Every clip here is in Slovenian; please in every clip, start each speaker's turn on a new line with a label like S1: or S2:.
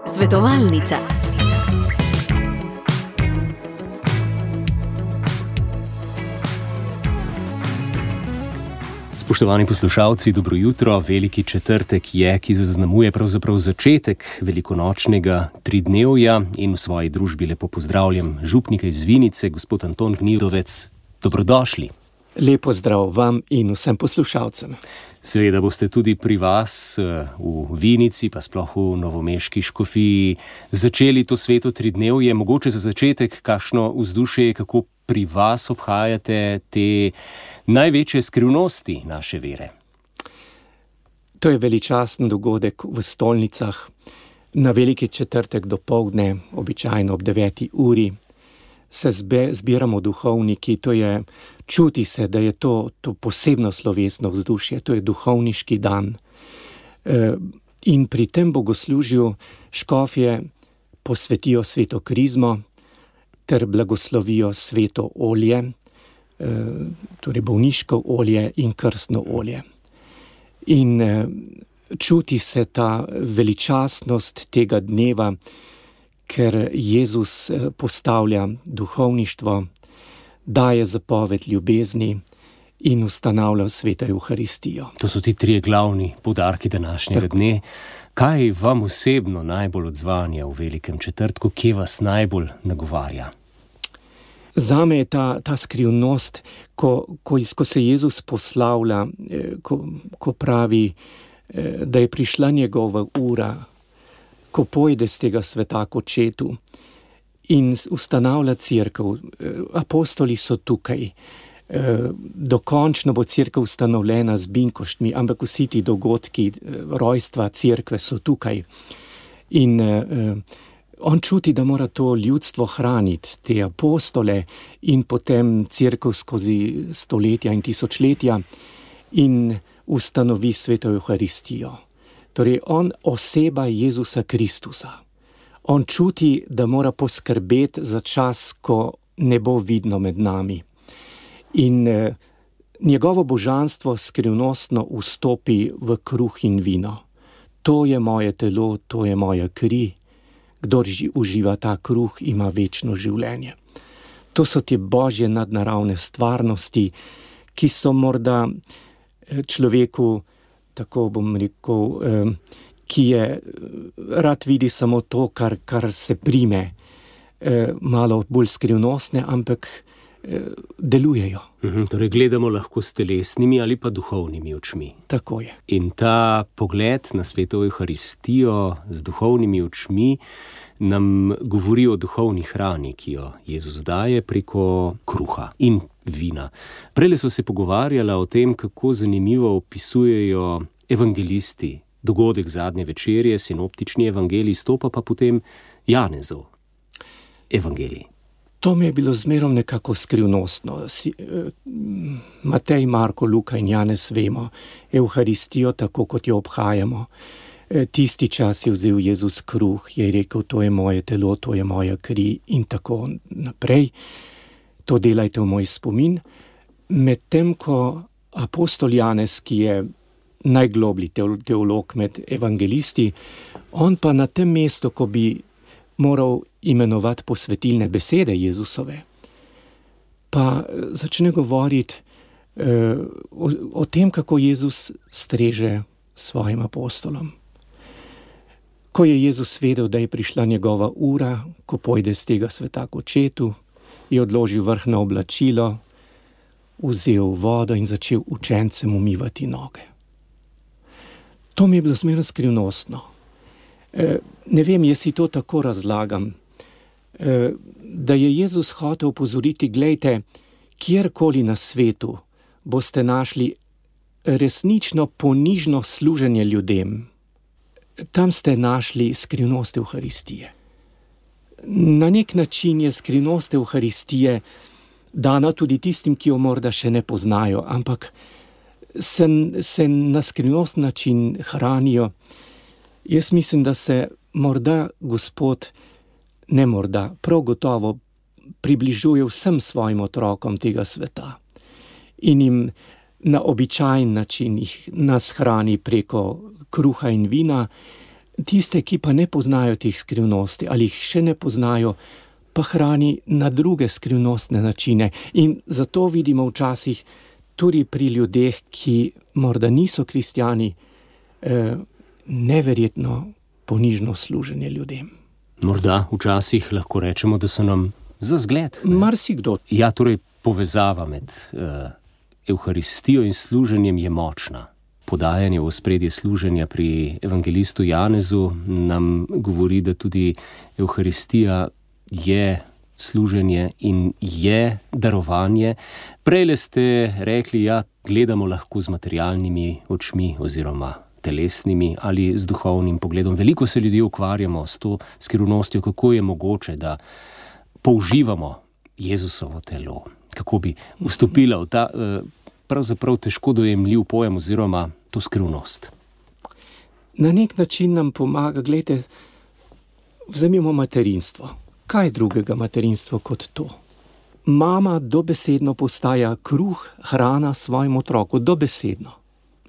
S1: Svetovalnica.
S2: Spoštovani poslušalci, dobro jutro. Veliki četrtek je, ki zaznamuje pravzaprav začetek velikonočnega tridnevja, in v svoji družbi lepo pozdravljam župnika iz Vinice, gospod Anton Gnidovec. Dobrodošli.
S3: Lepo zdrav vam in vsem poslušalcem.
S2: Seveda boste tudi pri vas v Vinici, pa sploh v novomeški škofiji, začeli to sveto tridnevje. Mogoče za začetek kakšno vzdušje, kako pri vas obhajate te največje skrivnosti naše vere?
S3: To je veličasten dogodek v stolnicah. Na veliki četrtek dopoldne, običajno ob 9. uri, se zbiramo duhovniki. Čuti se, da je to posebno slovesno vzdušje, to je duhovniški dan. In pri tem bogoslužju škofje posvetijo sveto krizmo ter blagoslovijo sveto olje, torej bolniško olje in krstno olje. In čuti se ta veličastnost tega dneva, ker Jezus postavlja duhovništvo, daje zapoved ljubezni in ustanavlja sveto Evharistijo.
S2: To so ti trije glavni poudarki današnjega dne. Kaj vam osebno najbolj odzvanja v velikem četrtku, kje vas najbolj nagovarja?
S3: Zame je ta skrivnost, ko se Jezus poslavlja, ko pravi, da je prišla njegova ura, ko pojde z tega sveta k očetu in ustanavlja cerkev. Apostoli so tukaj. Dokončno bo cerkev ustanovljena z binkoštmi, ampak vsi ti dogodki rojstva cerkve so tukaj. In on čuti, da mora to ljudstvo hraniti, te apostole in potem cerkev skozi stoletja in tisočletja, in ustanovi sveto Evharistijo. Torej, on oseba Jezusa Kristusa. On čuti, da mora poskrbeti za čas, ko ne bo vidno med nami. In njegovo božanstvo skrivnostno vstopi v kruh in vino. To je moje telo, to je moja kri. Kdor uživa ta kruh, ima večno življenje. To so te božje nadnaravne stvarnosti, ki so morda človeku, tako bom rekel, ki je rad vidi samo to, kar se prime, malo bolj skrivnostne, ampak delujejo.
S2: Torej gledamo lahko s telesnimi ali pa duhovnimi očmi.
S3: Tako je.
S2: In ta pogled na sveto Evharistijo z duhovnimi očmi nam govori o duhovni hrani, ki jo Jezus daje preko kruha in vina. Prejle so se pogovarjala o tem, kako zanimivo opisujejo evangelisti dogodek zadnje večerje, sinoptični evangelij, stopa pa potem Janezov evangelij.
S3: To mi je bilo zmerom nekako skrivnostno. Matej, Marko, Luka in Janez vemo Evharistijo tako, kot jo obhajamo. Tisti čas je vzel Jezus kruh, je rekel, to je moje telo, to je moja kri in tako naprej. To delajte v moj spomin. Medtem ko apostol Janez, ki je najgloblji teolog med evangelisti, on pa na tem mestu, ko bi moral imenovati posvetilne besede Jezusove, pa začne govoriti o tem, kako Jezus streže svojim apostolom. Ko je Jezus vedel, da je prišla njegova ura, ko pojde z tega sveta k očetu, je odložil vrhno oblačilo, vzel vodo in začel učencem umivati noge. To mi je bilo zmerno skrivnostno. Ne vem, jaz si to tako razlagam, da je Jezus hotel opozoriti, glejte, kjerkoli na svetu boste našli resnično ponižno služenje ljudem, tam ste našli skrivnost Evharistije. Na nek način je skrivnost Evharistije dana tudi tistim, ki jo morda še ne poznajo, ampak se na skrivnost način hranijo. Jaz mislim, da se morda Gospod, ne morda, prav gotovo približuje vsem svojim otrokom tega sveta in jim na običajen način nas hrani preko kruha in vina, tiste, ki pa ne poznajo teh skrivnosti ali jih še ne poznajo, pa hrani na druge skrivnostne načine. In zato vidimo včasih tudi pri ljudeh, ki morda niso kristjani, neverjetno ponižno služenje ljudem.
S2: Morda včasih lahko rečemo, da so nam za zgled.
S3: Marsikdo.
S2: Ja, torej povezava med Evharistijo in služenjem je močna. Podajanje v ospredje služenja pri evangelistu Janezu nam govori, da tudi Evharistija je služenje in je darovanje. Prejle ste rekli, ja, gledamo lahko z materialnimi očmi oziroma telesnimi ali z duhovnim pogledom. Veliko se ljudje ukvarjamo s to skrivnostjo, kako je mogoče, da použivamo Jezusovo telo, kako bi vstopila v ta pravzaprav težko dojemljiv pojem oziroma to skrivnost.
S3: Na nek način nam pomaga, gledajte, vzemimo materinstvo. Kaj drugega materinstvo kot to? Mama dobesedno postaja kruh, hrana svojemu otroku, dobesedno.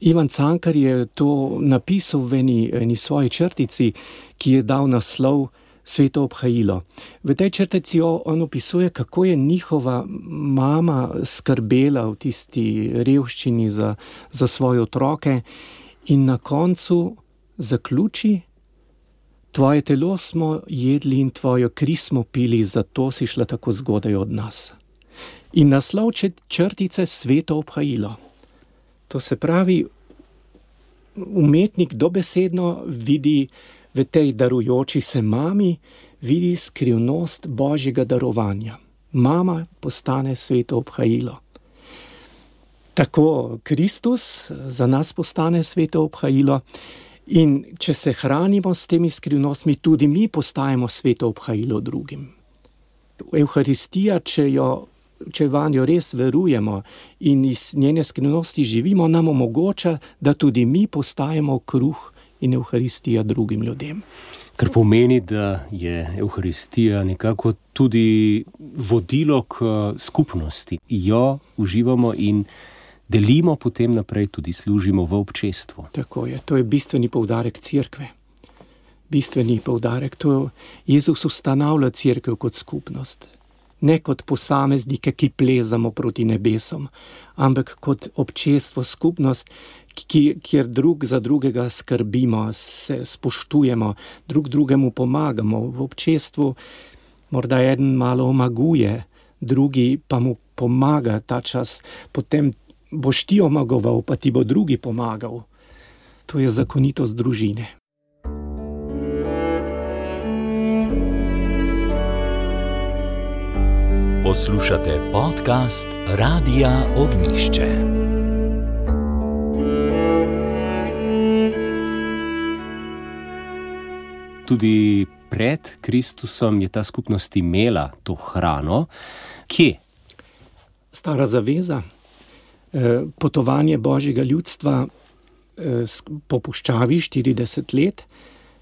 S3: Ivan Cankar je to napisal v eni svoji črtici, ki je dal naslov Sveto obhajilo. V tej črtici on opisuje, kako je njihova mama skrbela v tisti revščini za svoje otroke in na koncu zaključi: tvoje telo smo jedli in tvojo kri smo pili, zato si šla tako zgodaj od nas. In naslov črtice Sveto obhajilo. To se pravi, umetnik dobesedno vidi v tej darujoči se mami, vidi skrivnost Božjega darovanja. Mama postane sveto obhajilo. Tako Kristus za nas postane sveto obhajilo in če se hranimo s temi skrivnostmi, tudi mi postajamo sveto obhajilo drugim. Evharistija, če vanjo res verujemo in iz njene skrivnosti živimo, nam omogoča, da tudi mi postajamo kruh in Evharistija drugim ljudem.
S2: Kar pomeni, da je Evharistija nekako tudi vodilo k skupnosti. Jo uživamo in delimo potem naprej, tudi služimo v občestvu.
S3: Tako je, to je bistveni poudarek cerkve. Bistveni poudarek, to Jezus ustanavlja cerkev kot skupnost. Ne kot posameznike, ki plezamo proti nebesom, ampak kot občestvo, skupnost, kjer drug za drugega skrbimo, se spoštujemo, drug drugemu pomagamo. V občestvu morda eden malo omaguje, drugi pa mu pomaga ta čas, potem boš ti omagoval, pa ti bo drugi pomagal. To je zakonitost družine.
S1: Poslušate podcast Radia Ognjišče.
S2: Tudi pred Kristusom je ta skupnost imela to hrano. Kje?
S3: Stara zaveza, potovanje Božjega ljudstva po puščavi 40 let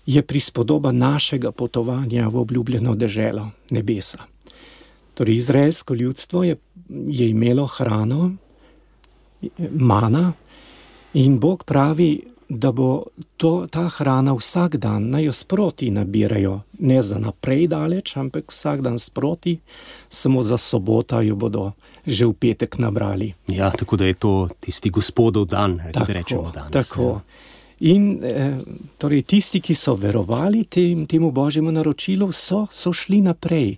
S3: je prispodoba našega potovanja v obljubljeno deželo nebesa. Torej, izraelsko ljudstvo je imelo hrano, mana, in Bog pravi, da bo ta hrana vsak dan, naj jo sproti nabirajo, ne za naprej daleč, ampak vsak dan sproti, samo za sobota jo bodo že v petek nabrali.
S2: Ja, tako da je to tisti Gospodov dan, da rečemo danes.
S3: Tako. In torej tisti, ki so verovali temu Božjemu naročilu, so šli naprej.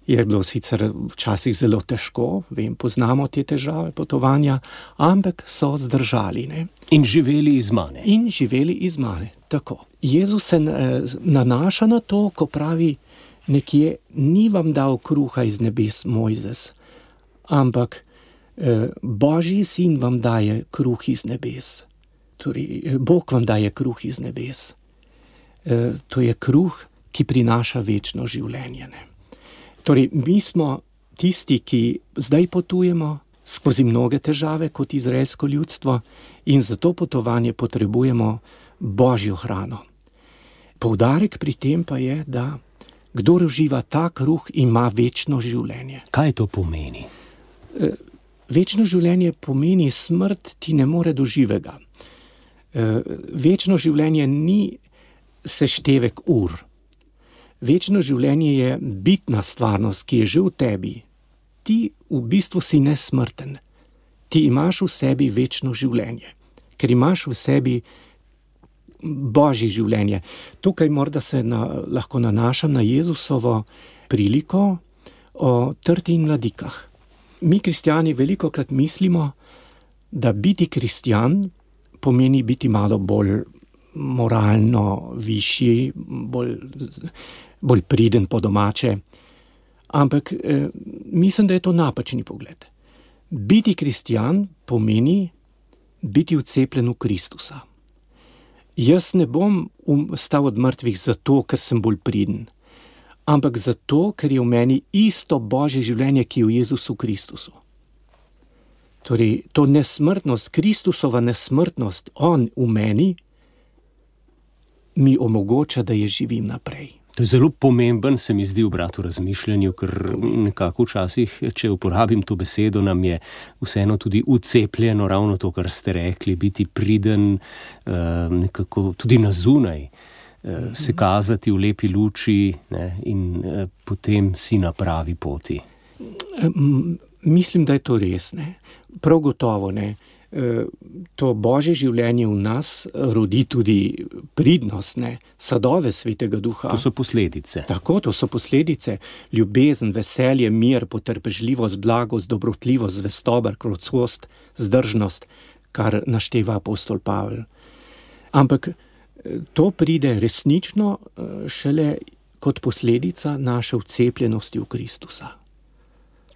S3: Je bilo sicer včasih zelo težko, poznamo te težave potovanja, ampak so zdržali. Ne?
S2: In živeli iz mane.
S3: Tako. Jezus se nanaša na to, ko pravi nekje, ni vam dal kruha iz nebes Mojzes, ampak Božji sin vam daje kruh iz nebes. Torej, Bog vam daje kruh iz nebes. To je kruh, ki prinaša večno življenje. Ne? Torej, mi smo tisti, ki zdaj potujemo skozi mnoge težave kot izraelsko ljudstvo in za to potovanje potrebujemo Božjo hrano. Poudarek pri tem pa je, da kdor uživa ta kruh, ima večno življenje.
S2: Kaj to pomeni?
S3: Večno življenje pomeni, smrt ti ne more do živega. Večno življenje ni seštevek ur. Večno življenje je bitna stvarnost, ki je že v tebi. Ti v bistvu si nesmrten. Ti imaš v sebi večno življenje, ker imaš v sebi Božje življenje. Tukaj morda se lahko nanašam na Jezusovo priliko o trti in mladikah. Mi, kristjani, velikokrat mislimo, da biti kristjan pomeni biti malo bolj moralno višji, bolj priden po domače. Ampak mislim, da je to napačni pogled. Biti kristjan pomeni biti vcepljen v Kristusa. Jaz ne bom stal od mrtvih zato, ker sem bolj priden, ampak zato, ker je v meni isto Božje življenje, ki je v Jezusu Kristusu. Torej, to nesmrtnost, Kristusova nesmrtnost, on v meni, mi omogoča, da je živim naprej.
S2: To je zelo pomemben, se mi zdi, obrat v razmišljanju, ker nekako včasih, če uporabim to besedo, nam je vseeno tudi ucepljeno ravno to, kar ste rekli, biti priden, nekako tudi na zunaj, se kazati v lepi luči, ne, in potem si na pravi poti.
S3: Mislim, da je to res, ne. Prav gotovo, ne. To Božje življenje v nas rodi tudi pridnost, ne, sadove Svetega Duha.
S2: To so posledice.
S3: Tako, to so posledice. Ljubezen, veselje, mir, potrpežljivost, blagost, dobrotljivost, zvestoba, krotkost, zdržnost, kar našteva apostol Pavel. Ampak to pride resnično šele kot posledica naše vcepljenosti v Kristusa.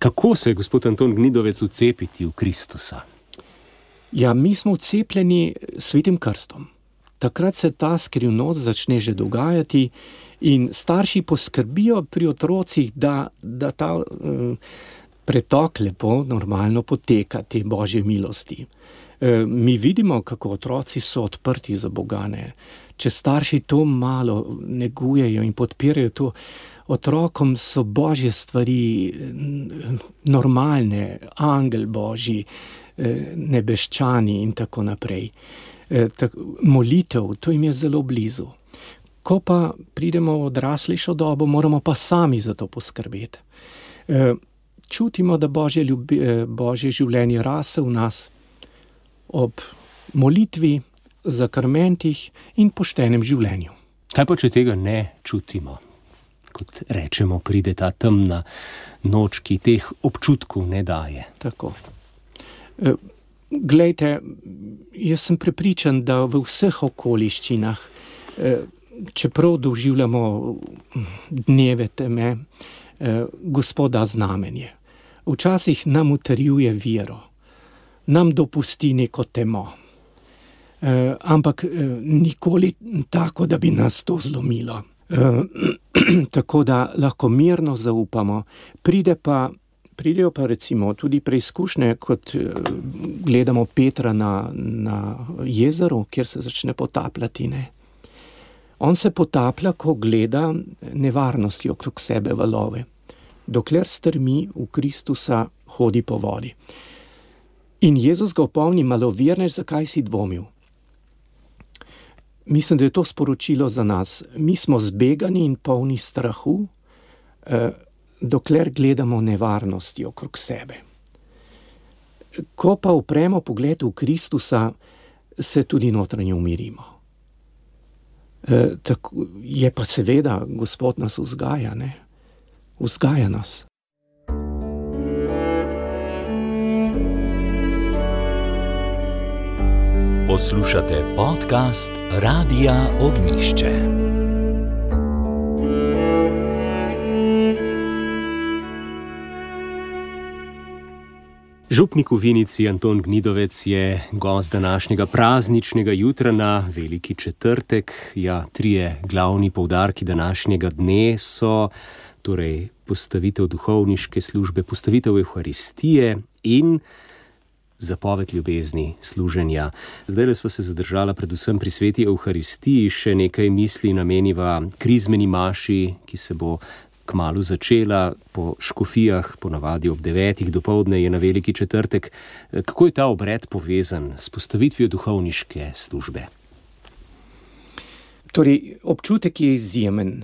S2: Kako se, gospod Anton Gnidovec, vcepiti v Kristusa?
S3: Ja, mi smo vcepljeni svetim krstom. Takrat se ta skrivnost začne že dogajati in starši poskrbijo pri otrocih, da ta pretok lepo, normalno poteka, te Božje milosti. Mi vidimo, kako otroci so odprti za Boga, ne. Če starši to malo negujejo in podpirajo to, otrokom so Božje stvari normalne, angel Božji, nebeščani in tako naprej. Molitev, to jim je zelo blizu. Ko pa pridemo v odraslejšo dobo, moramo pa sami za to poskrbeti. Čutimo, da Božje življenje rase v nas ob molitvi, zakrmentih in poštenem življenju.
S2: Kaj pa, če tega ne čutimo? Kot rečemo, pride ta temna noč, ki teh občutkov ne daje.
S3: Tako. Glejte, jaz sem prepričan, da v vseh okoliščinah, čeprav doživljamo dneve teme, Gospod da znamenje. Včasih nam utrjuje vero, nam dopusti neko temo, ampak nikoli tako, da bi nas to zlomilo. Tako da lahko mirno zaupamo. Pridejo pa recimo tudi preizkušnje, kot gledamo Petra na jezeru, kjer se začne potapljati, ne. On se potaplja, ko gleda nevarnosti okrog sebe valove. Dokler strmi v Kristusa, hodi po vodi. In Jezus ga opomni: malovernež, zakaj si dvomil? Mislim, da je to sporočilo za nas. Mi smo zbegani in polni strahu, dokler gledamo nevarnosti okrog sebe. Ko pa upremo pogled v Kristusa, se tudi notranje umirimo. Tako je pa seveda, Gospod nas vzgaja, ne? Vzgaja nas.
S1: Poslušate podcast Radia Ognišče.
S2: Župnik v Vinici Anton Gnidovec je gost današnjega prazničnega jutra na Veliki četrtek. Ja, 3 glavni poudarki današnjega dne so torej postavitev duhovniške službe, postavitev Evharistije in zapoved ljubezni, služenja. Zdajle sva se zadržala predvsem pri sveti Evharistiji, še nekaj misli nameniva krizmeni maši, ki se bo kmalu začela po škofijah, ponavadi ob 9. dopoldne je na Veliki četrtek. Kako je ta obred povezan s postavitvijo duhovniške službe?
S3: Torej, občutek je izjemen.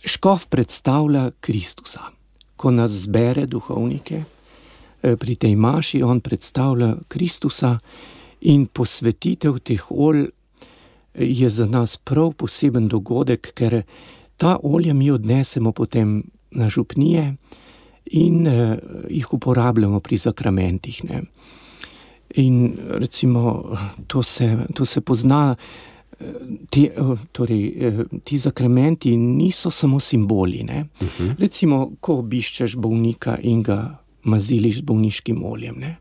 S3: Škof predstavlja Kristusa. Ko nas zbere duhovnike, pri tej maši on predstavlja Kristusa in posvetitev teh olj je za nas prav poseben dogodek, ker ta olja mi odnesemo potem na župnije in jih uporabljamo pri sakramentih. Ne. In recimo to se pozna, ti sakramenti niso samo simboli. Ne. Recimo, ko obiščeš bolnika in ga maziliš z bolniškim oljem, ne.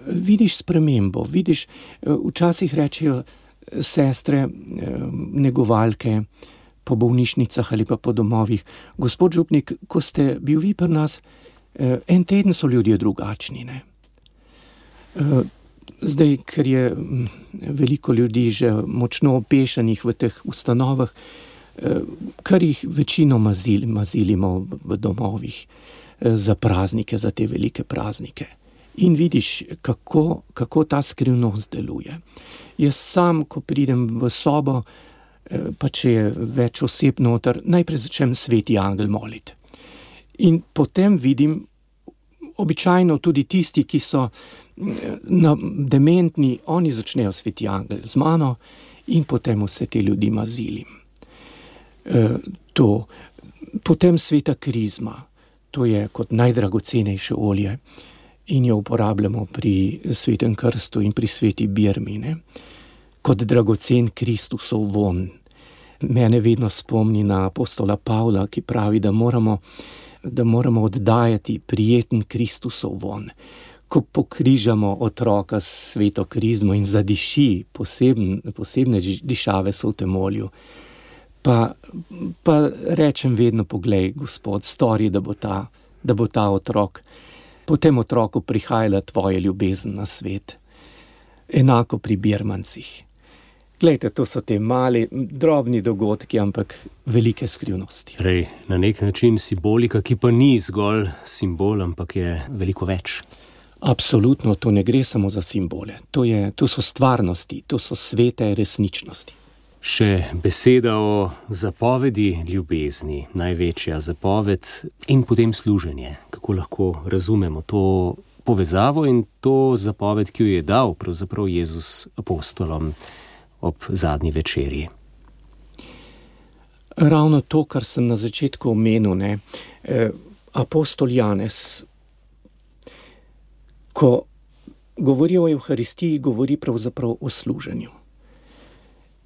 S3: Vidiš spremembo, včasih rečejo sestre, negovalke po bolnišnicah ali pa po domovih: gospod župnik, ko ste bil vi pri nas, en teden so ljudje drugačni. Ne? Zdaj, ker je veliko ljudi že močno opešanih v teh ustanovah, kar jih večino mazilimo v domovih za praznike, za te velike praznike. In vidiš, kako ta skrivnost deluje. Jaz sam, ko pridem v sobo, pa če je več oseb noter, najprej začnem Sveti angel moliti. In potem vidim, običajno tudi tisti, ki so dementni, oni začnejo Sveti angel z mano in potem vse te ljudi mazilim. Potem sveta krizma, to je kot najdragocenejše olje in jo uporabljamo pri svetem krstu in pri sveti birmi, ne? Kot dragocen Kristusov von. Mene vedno spomni na apostola Pavla, ki pravi, da moramo oddajati prijeten Kristusov von. Ko pokrižamo otroka s sveto krizmo in zadiši, posebne dišave so v tem olju, pa rečem vedno: poglej, Gospod, stori, da bo ta otrok, po tem otroku prihajala tvoja ljubezen na svet. Enako pri birmancih. Glejte, to so te mali, drobni dogodki, ampak velike skrivnosti.
S2: Na nek način simbolika, ki pa ni zgolj simbol, ampak je veliko več.
S3: Absolutno, to ne gre samo za simbole. To so stvarnosti, to so svete resničnosti.
S2: Še beseda o zapovedi ljubezni, največja zapoved, in potem služenje. Kako lahko razumemo to povezavo in to zapoved, ki jo je dal pravzaprav Jezus apostolom ob zadnji večerji?
S3: Ravno to, kar sem na začetku omenil, ne. Apostol Janez, ko govori o Evharistiji, govori pravzaprav o služenju.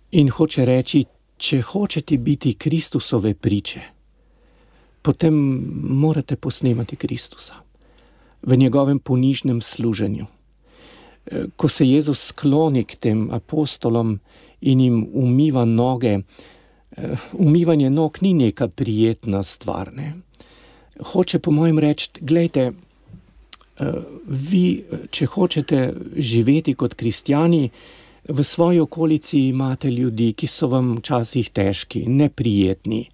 S3: In hoče reči, če hočete biti Kristusove priče, potem morate posnemati Kristusa v njegovem ponižnem služenju. Ko se Jezus skloni k tem apostolom in jim umiva noge, umivanje nog ni neka prijetna stvar, ne. Hoče po mojem reči: glejte, vi, če hočete živeti kot kristjani, v svoji okolici imate ljudi, ki so vam včasih težki, neprijetni,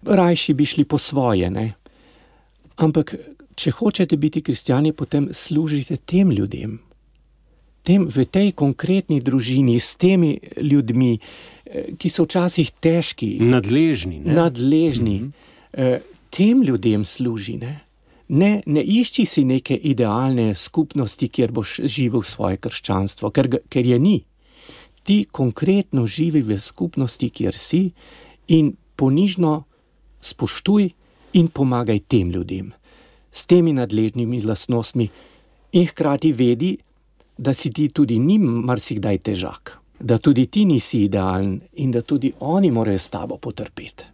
S3: rajši bi šli po svoje, ne. Ampak, če hočete biti kristjani, potem služite tem ljudem. V tej konkretni družini, s temi ljudmi, ki so včasih težki.
S2: Nadležni, ne?
S3: Nadležni. Tem ljudem služi, ne. Ne išči si neke idealne skupnosti, kjer boš živel svoje krščanstvo, ker je ni. Ti konkretno živi v skupnosti, kjer si, in ponižno spoštuj in pomagaj tem ljudem, s temi nadležnimi lastnostmi, in hkrati vedi, da si ti tudi njim marsikdaj težak, da tudi ti nisi idealen in da tudi oni morajo s tabo potrpeti.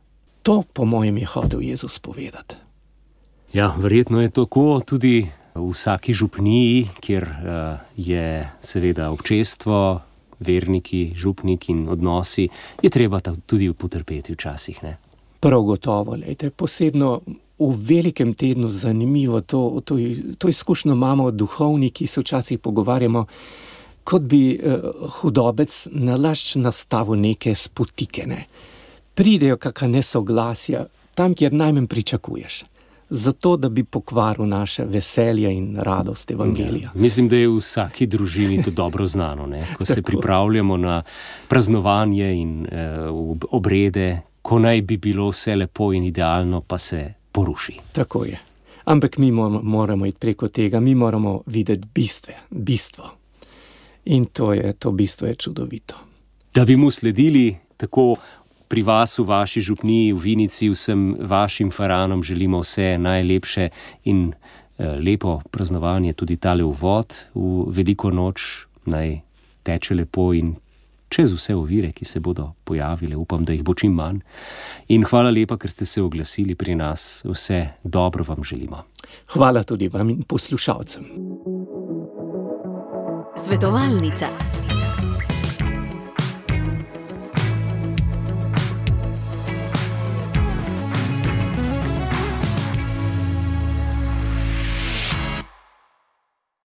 S3: To, po mojem, je hotel Jezus povedati.
S2: Ja, verjetno je tako tudi v vsaki župniji, kjer je seveda občestvo, verniki, župnik in odnosi, je treba tudi potrpeti včasih, ne?
S3: Prav gotovo, lejte, posebno v velikem tednu zanimivo, to izkušnjo imamo duhovniki, se včasih pogovarjamo, kot bi hudobec nalašč nastavil neke spotike, ne. Pridejo kakšna nesoglasja, tam, kjer najmanj pričakuješ. Zato, da bi pokvaril naše veselje in radost evangelija.
S2: Ja, mislim, da je v vsaki družini to dobro znano, ne? Ko se pripravljamo na praznovanje in obrede, ko naj bi bilo vse lepo in idealno, pa se poruši.
S3: Tako je. Ampak mi moramo iti preko tega, mi moramo videti bistvo. In to bistvo je čudovito.
S2: Da bi mu sledili tako pri vas, v vaši župniji, v Vinici, vsem vašim faranom želimo vse najlepše in lepo praznovanje, tudi tale uvod v veliko noč, naj teče lepo in čez vse ovire, ki se bodo pojavile, upam, da jih bo čim manj. In hvala lepa, ker ste se oglasili pri nas, vse dobro vam želimo.
S3: Hvala tudi vam in poslušalcem.
S4: Svetovalnica.